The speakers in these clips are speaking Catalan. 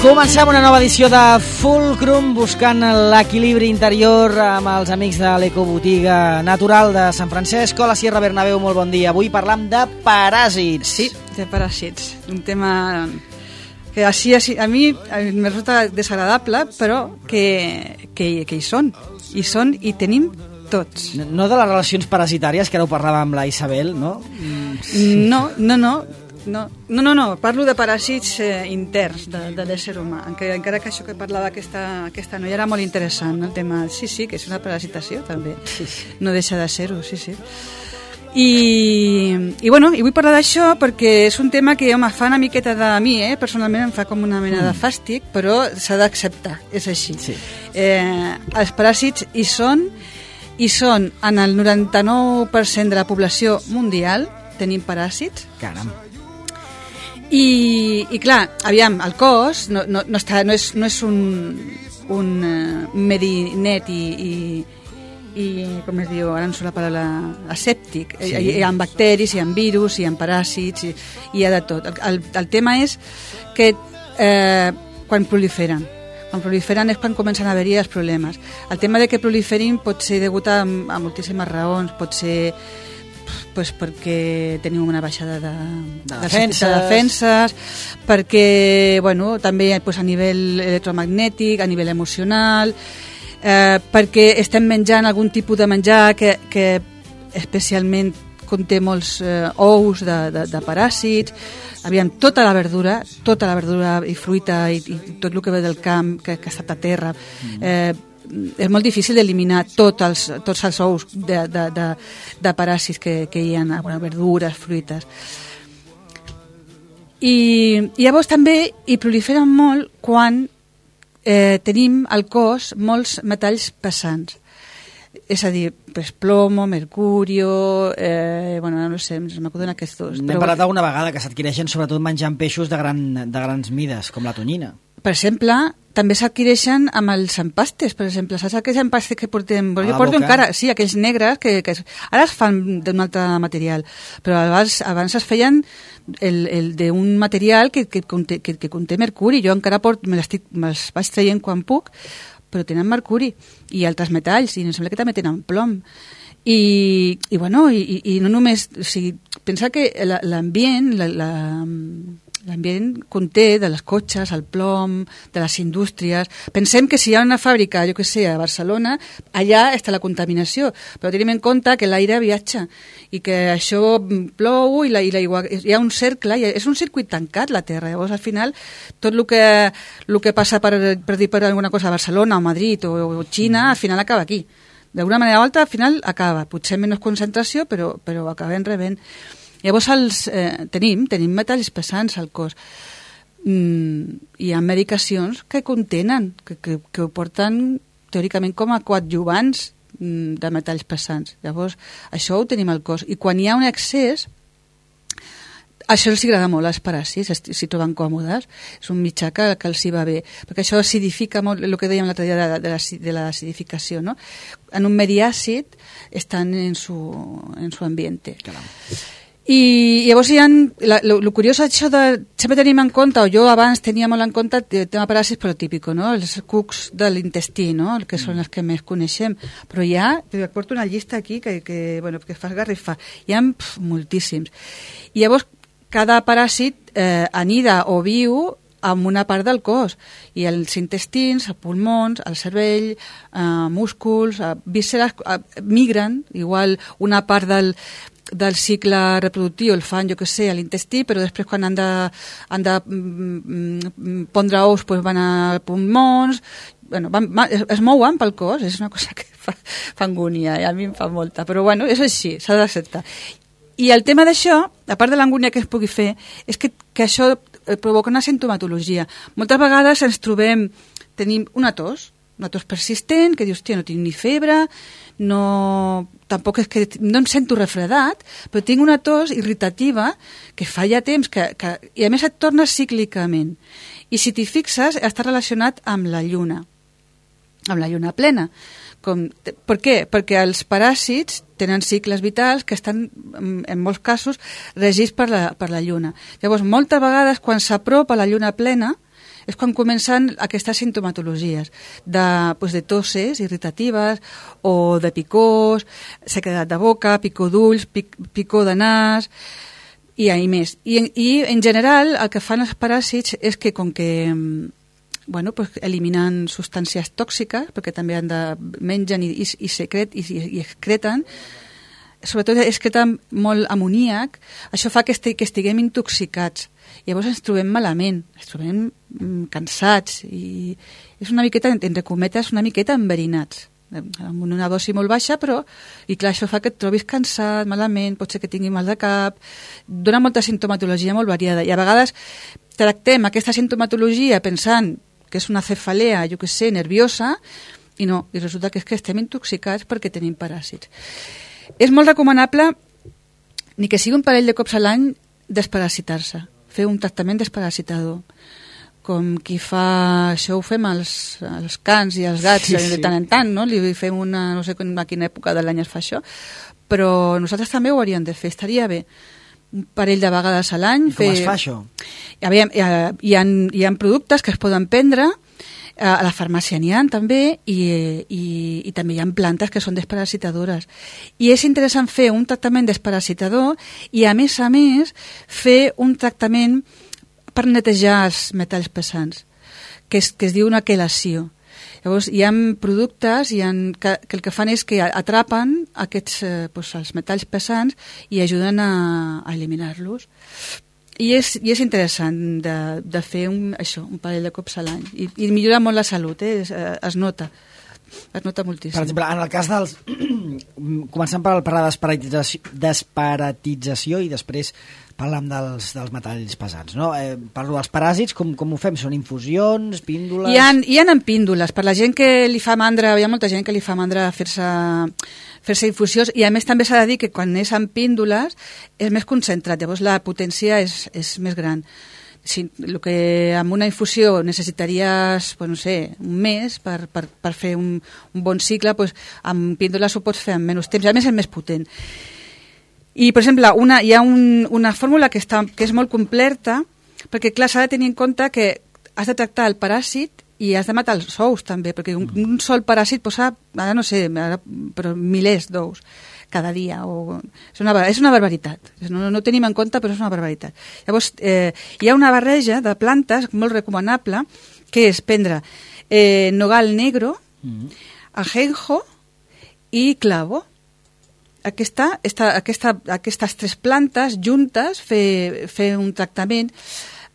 Comencem una nova edició de Fulcrum, buscant l'equilibri interior amb els amics de l'Ecobotiga Natural de Sant Francesc. Hola, Sierra Bernabéu, molt bon dia. Avui parlam de paràsits. Sí, de paràsits. Un tema que així a mi me resulta desagradable, però que hi són. Hi són i tenim tots. No de les relacions parasitàries, que ara ho parlàvem amb la Isabel, no? Sí. No, parlo de paràsits interns de l'ésser humà, encara que això que parlava aquesta noia era molt interessant, el tema, sí, que és una parasitació també, no deixa de ser-ho, sí. I vull parlar d'això perquè és un tema que me fa una miqueta de mi, personalment em fa com una mena de fàstic, però s'ha d'acceptar, és així. Sí. Els paràsits hi són en el 99% de la població mundial, tenim paràsits. Caram. I clar, aviam, el cos no és un medinet i com es diu, ara no sé la paraula, asèptic. Sí. Hi ha bacteris, hi ha virus, hi ha paràsits, hi ha de tot. El tema és que quan proliferen és quan comencen a haver-hi els problemes. El tema de que proliferin pot ser degut a moltíssimes raons, pot ser perquè tenim una baixada de defenses, perquè també a nivell electromagnètic, a nivell emocional, perquè estem menjant algun tipus de menjar que especialment conté molts ous de paràsits. Aviam, tota la verdura i fruita i tot el que ve del camp, que ha estat a terra, és molt difícil d'eliminar tots els ous de paràsits que hi ha, verdures, fruites. I llavors també hi proliferen molt quan tenim al cos molts metalls pesants. És a dir, plomo, mercurio, no sé, m'acuden aquests dos. N'hem parlat alguna vegada que s'adquireixen sobretot menjant peixos de grans mides, com la tonyina. Per exemple, també s'adquireixen amb els empastes, per exemple. Saps aquells empastes que portem? Jo porto encara, sí, aquells negres, que ara es fan d'un altre material, però abans es feien d'un material que conté mercuri. Jo encara me'ls vaig traient quan puc, però tenen mercuri i altres metalls, i em sembla que també tenen plom. I no només... O sigui, pensa que l'ambient conté de les cotxes, el plom, de les indústries. Pensem que si hi ha una fàbrica, jo que sé, a Barcelona, allà està la contaminació, però tenim en compte que l'aire viatja i que això plou i hi ha un cercle, és un circuit tancat, la Terra. Llavors, al final, tot el que passa per dir per alguna cosa a Barcelona o Madrid o Xina, al final acaba aquí. D'alguna manera o altra, al final acaba. Potser menys concentració, però acabem rebent. Llavors tenim metalls pesants al cos. Hi ha medicacions que contenen, que ho porten teòricament com a coadjuvants de metalls pesants. Llavors, això ho tenim al cos. I quan hi ha un excés, això els agrada molt als paràsits, s'hi troben còmodes. És un mitjà que els hi va bé, perquè això acidifica molt, el que dèiem l'altre dia de l'acidificació, no? En un medi àcid estan en su ambiente. Caram. I llavors el curiós això sempre tenim en compte, o jo abans tenia molt en compte el tema paràsits, però típic, no? Els cucs de l'intestí, no? Que són els que més coneixem, però porto una llista aquí que fa esgarrifar, hi ha moltíssims. I llavors cada paràsit anida o viu en una part del cos, i els intestins, els pulmons, el cervell, músculs, vísceres, migren, igual una part del cicle reproductiu el fan, jo que sé, a l'intestí, però després quan han de pondre ous van a pulmons, es mouen pel cos, és una cosa que fa angúnia, a mi em fa molta, però és així, s'ha d'acceptar. I el tema d'això, a part de l'angúnia que es pugui fer, és que això provoca una sintomatologia. Moltes vegades tenim una tos persistent, que dius, no tinc ni febre, tampoc és que no em sento refredat, però tinc una tos irritativa que fa ja temps i a més et torna cíclicament. I si t'hi fixes, està relacionat amb la lluna plena. Per què? Perquè els paràsits tenen cicles vitals que estan, en molts casos, regits per la lluna. Llavors, moltes vegades, quan s'apropa la lluna plena, és quan comencen aquestes sintomatologies de tosses irritatives o de picors, sequedat de boca, picor d'ulls, picor de nas i més. I en general el que fan els paràsits és que com que eliminen substàncies tòxiques, perquè també mengen i excreten, sobretot excreten molt amoníac, això fa que estiguem intoxicats. Llavors ens trobem malament, ens trobem cansats i és una miqueta, entre cometes, una miqueta enverinats, amb una dosi molt baixa, i clar, això fa que et trobis cansat, malament, pot ser que tingui mal de cap, dona molta sintomatologia molt variada i a vegades tractem aquesta sintomatologia pensant que és una cefalea, jo què sé, nerviosa, i no, i resulta que és que estem intoxicats perquè tenim paràsits. És molt recomanable, ni que sigui un parell de cops a l'any, desparasitar-se, fer un tractament desparasitador. Com qui fa... Això ho fem als cans i als gats de tant en tant, no? Li fem no sé a quina època de l'any es fa això, però nosaltres també ho hauríem de fer, estaria bé. Un parell de vegades a l'any. I com es fa això? Hi ha productes que es poden prendre, a la farmàcia n'hi ha també, i també hi ha plantes que són desparasitadores. I és interessant fer un tractament desparasitador i, a més, fer un tractament per netejar els metalls pesants, que es diu una quelació. Llavors, hi ha productes que el que fan és que atrapen els metalls pesants i ajuden a eliminar-los. I és interessant de fer un parell de cops a l'any. I millora molt la salut, es nota. Es nota moltíssim. Per exemple, en el cas dels... Començant per la desparatització i després parlem dels metalls pesants, no? Parlo dels paràsits, com ho fem? Són infusions, píndoles... Hi ha en píndoles. Per la gent que li fa mandra, hi ha molta gent que li fa mandra fer-se infusions, i a més també s'ha de dir que quan és en píndoles és més concentrat, llavors la potència és més gran. El que amb una infusió necessitaries, no sé, un mes per fer un bon cicle, amb píndoles ho pots fer en menys temps, i a més és més potent. I, per exemple, hi ha una fórmula que és molt completa, perquè, clar, s'ha de tenir en compte que has de tractar el paràsit i has de matar els ous, també, perquè un sol paràsit posa, ara no sé, però milers d'ous cada dia. És una barbaritat. No tenim en compte, però és una barbaritat. Llavors, hi ha una barreja de plantes molt recomanable, que és prendre nogal negro, ajenjo i clavo. Aquestes tres plantes juntes, fer un tractament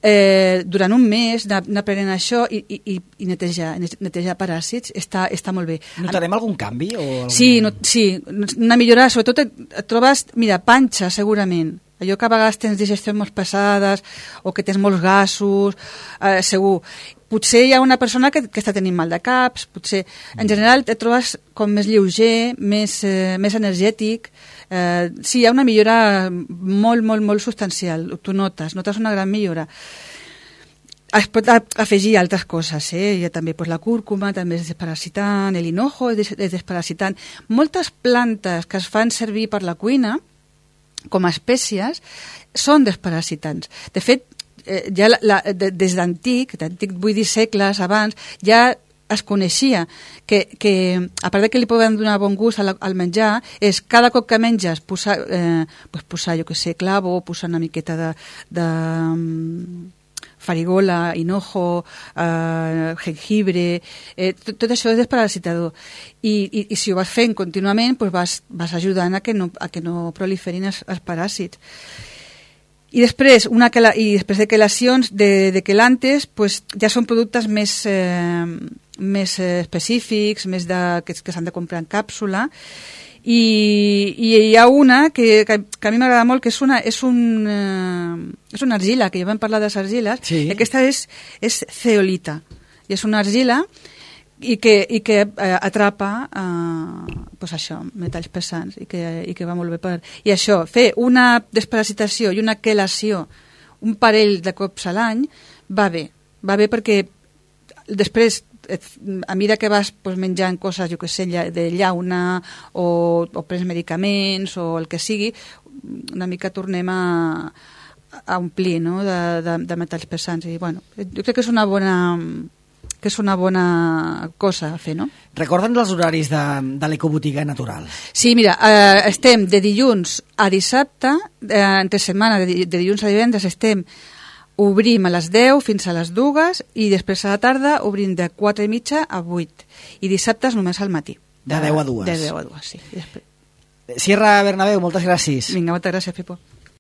durant un mes, anar prenent això i netejar paràsits, està molt bé. Notarem algun canvi? Sí, una millora, sobretot et trobes, panxa segurament, allò que a vegades tens digestions molt pesades o que tens molts gasos, segur. Potser hi ha una persona que està tenint mal de caps, potser en general et trobes com més lleuger, més energètic. Sí, hi ha una millora molt, molt, molt substancial, tu notes una gran millora. Es pot afegir altres coses, hi ha també la cúrcuma, també és desparasitant, l'hinojo és desparasitant. Moltes plantes que es fan servir per la cuina com a espècies són desparasitants. De fet, ja des d'antic, vull dir segles abans, ja es coneixia que a part que li poden donar bon gust al menjar, és cada cop que menges posar jo que sé, clavo, posar una miqueta de farigola, hinojo, jengibre, tot això és desparasitador. I si ho vas fent contínuament, vas ajudant a que no proliferin els paràsits. I després de quelacions de quelantes, ja són productes més específics, que s'han de comprar en càpsula, i hi ha una que a mi m'agrada molt, que és una argila, que ja vam parlar de les argiles, sí. I aquesta és zeolita, i és una argila i que atrapa metalls pesants i que va molt bé i això, fer una desparasitació i una quelació un parell de cops a l'any va bé perquè després a mesura que vas menjant coses, jo que sé, de llauna o prens medicaments o el que sigui, una mica tornem a a omplir, no?, de metalls pesants. I, bueno, jo crec que és una bona cosa a fer, no? Recorda'ns els horaris de l'Ecobotiga Natural. Sí, mira, estem de dilluns a dissabte, entre setmana, de dilluns a divendres obrim a les 10 fins a les 2 i després a la tarda obrim de 4:30 a 8 i dissabtes només al matí. De 10 a 2. De 10 a 2, sí. Sierra Bernabéu, moltes gràcies. Vinga, moltes gràcies, Pipo.